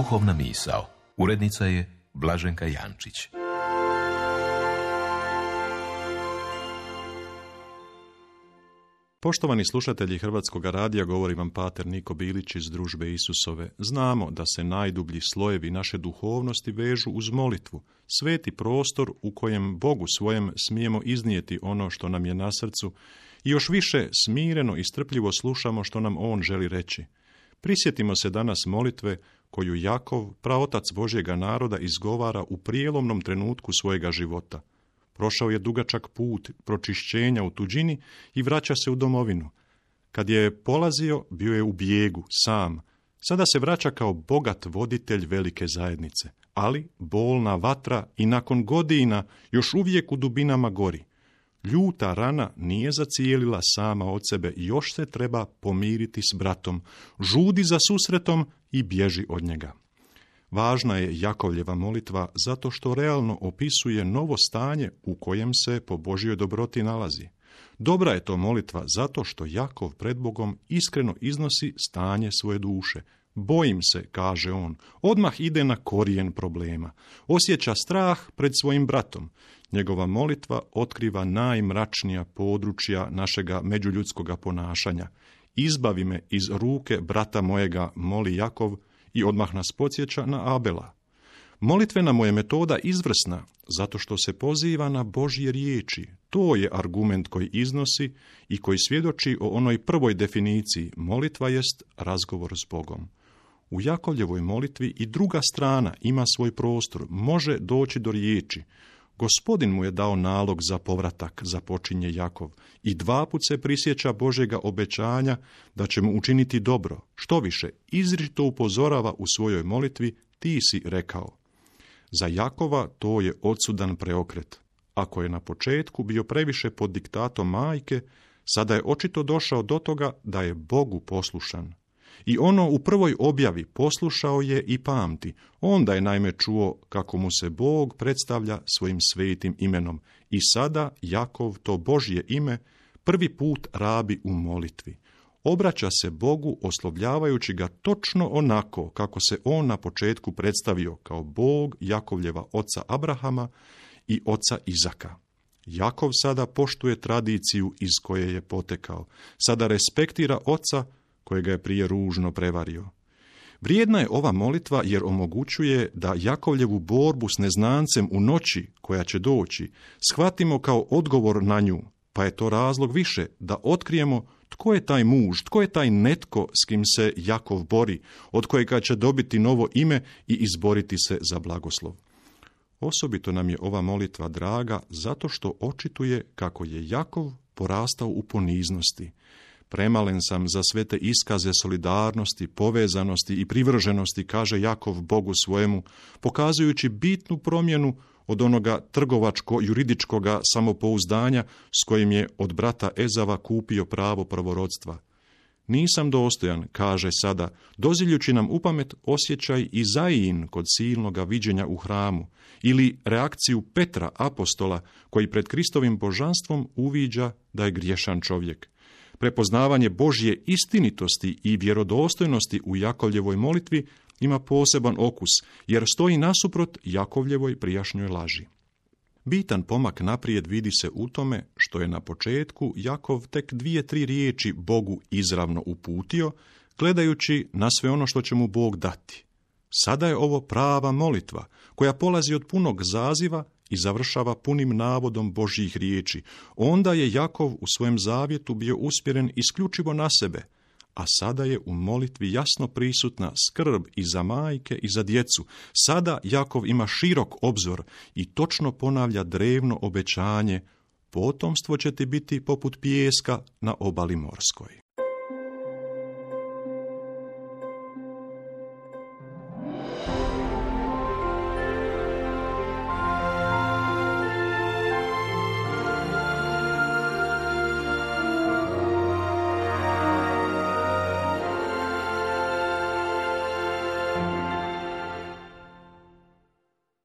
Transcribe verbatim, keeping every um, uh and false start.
Duhovna misao. Urednica je Blaženka Jančić. Poštovani slušatelji Hrvatskog radija, govori vam pater Niko Bilić iz Družbe Isusove. Znamo da se najdublji slojevi naše duhovnosti vežu uz molitvu, sveti prostor u kojem Bogu svojem smijemo iznijeti ono što nam je na srcu i još više smireno i strpljivo slušamo što nam On želi reći. Prisjetimo se danas molitve koju Jakov, praotac Božjega naroda, izgovara u prijelomnom trenutku svojega života. Prošao je dugačak put pročišćenja u tuđini i vraća se u domovinu. Kad je polazio, bio je u bijegu, sam. Sada se vraća kao bogat voditelj velike zajednice, ali bolna vatra i nakon godina još uvijek u dubinama gori. Ljuta rana nije zacijelila sama od sebe i još se treba pomiriti s bratom. Žudi za susretom i bježi od njega. Važna je Jakovljeva molitva zato što realno opisuje novo stanje u kojem se po Božjoj dobroti nalazi. Dobra je to molitva zato što Jakov pred Bogom iskreno iznosi stanje svoje duše. Bojim se, kaže on, odmah ide na korijen problema. Osjeća strah pred svojim bratom. Njegova molitva otkriva najmračnija područja našega međuljudskoga ponašanja. Izbavi me iz ruke brata mojega, moli Jakov, i odmah nas podsjeća na Abela. Molitvena mu je metoda izvrsna, zato što se poziva na Božje riječi. To je argument koji iznosi i koji svjedoči o onoj prvoj definiciji. Molitva jest razgovor s Bogom. U Jakovljevoj molitvi i druga strana ima svoj prostor, može doći do riječi. Gospodin mu je dao nalog za povratak, započinje Jakov, i dva put se prisjeća Božjega obećanja da će mu učiniti dobro. Što više, izričito upozorava u svojoj molitvi, ti si rekao. Za Jakova to je odsudan preokret. Ako je na početku bio previše pod diktatom majke, sada je očito došao do toga da je Bogu poslušan. I ono u prvoj objavi poslušao je i pamti. Onda je naime čuo kako mu se Bog predstavlja svojim svetim imenom. I sada Jakov to Božje ime prvi put rabi u molitvi. Obraća se Bogu oslovljavajući ga točno onako kako se on na početku predstavio kao Bog Jakovljeva oca Abrahama i oca Izaka. Jakov sada poštuje tradiciju iz koje je potekao. Sada respektira oca kojega je prije ružno prevario. Vrijedna je ova molitva jer omogućuje da Jakovljevu borbu s neznancem u noći koja će doći shvatimo kao odgovor na nju, pa je to razlog više da otkrijemo tko je taj muž, tko je taj netko s kim se Jakov bori, od kojega će dobiti novo ime i izboriti se za blagoslov. Osobito nam je ova molitva draga zato što očituje kako je Jakov porastao u poniznosti. Premalen sam za sve te iskaze solidarnosti, povezanosti i privrženosti, kaže Jakov Bogu svojemu, pokazujući bitnu promjenu od onoga trgovačko-juridičkoga samopouzdanja s kojim je od brata Ezava kupio pravo prvorodstva. Nisam dostojan, kaže sada, doziljući nam upamet osjećaj Izaijin kod silnoga viđenja u hramu, ili reakciju Petra, apostola, koji pred Kristovim božanstvom uviđa da je griješan čovjek. Prepoznavanje Božje istinitosti i vjerodostojnosti u Jakovljevoj molitvi ima poseban okus, jer stoji nasuprot Jakovljevoj prijašnjoj laži. Bitan pomak naprijed vidi se u tome što je na početku Jakov tek dvije, tri riječi Bogu izravno uputio, gledajući na sve ono što će mu Bog dati. Sada je ovo prava molitva, koja polazi od punog zaziva i završava punim navodom Božjih riječi. Onda je Jakov u svojem zavjetu bio usmjeren isključivo na sebe, a sada je u molitvi jasno prisutna skrb i za majke i za djecu. Sada Jakov ima širok obzor i točno ponavlja drevno obećanje: potomstvo će ti biti poput pijeska na obali morskoj.